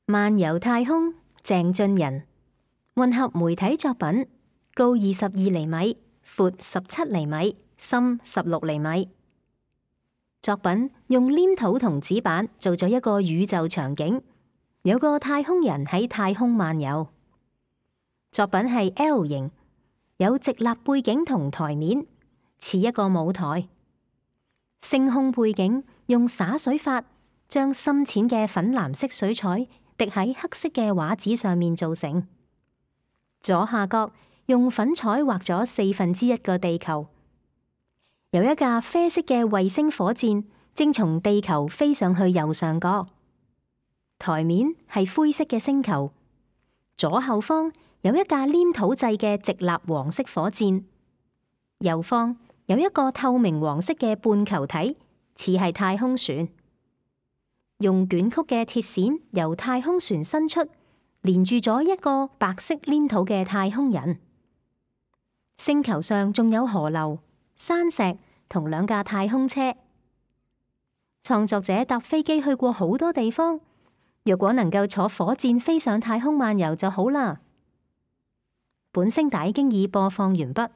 漫遊太空，鄭俊仁。混合媒體作品，高22厘米，闊17厘米，深16厘米。作品用黏土同紙板做咗一個宇宙場景，有個太空人喺太空漫遊。作品係 L 型，有直立背景同台面，似一個舞台。星空背景用灑水法將深淺嘅粉藍色水彩滴喺黑色嘅畫紙上面做成。左下角用粉彩畫咗1/4個地球，有一架啡色嘅衛星火箭正從地球飛上去右上角。台面係灰色嘅星球，左後方有一架黏土製嘅直立黃色火箭，右方有一個透明黃色嘅半球體，似係太空船。用捲曲嘅鐵線由太空船伸出，連住咗一個白色黏土嘅太空人。星球上仲有河流、山石同2架太空車。創作者搭飛機去過好多地方，若果能夠坐火箭飛上太空漫遊就好啦。本聲帶經已播放完畢。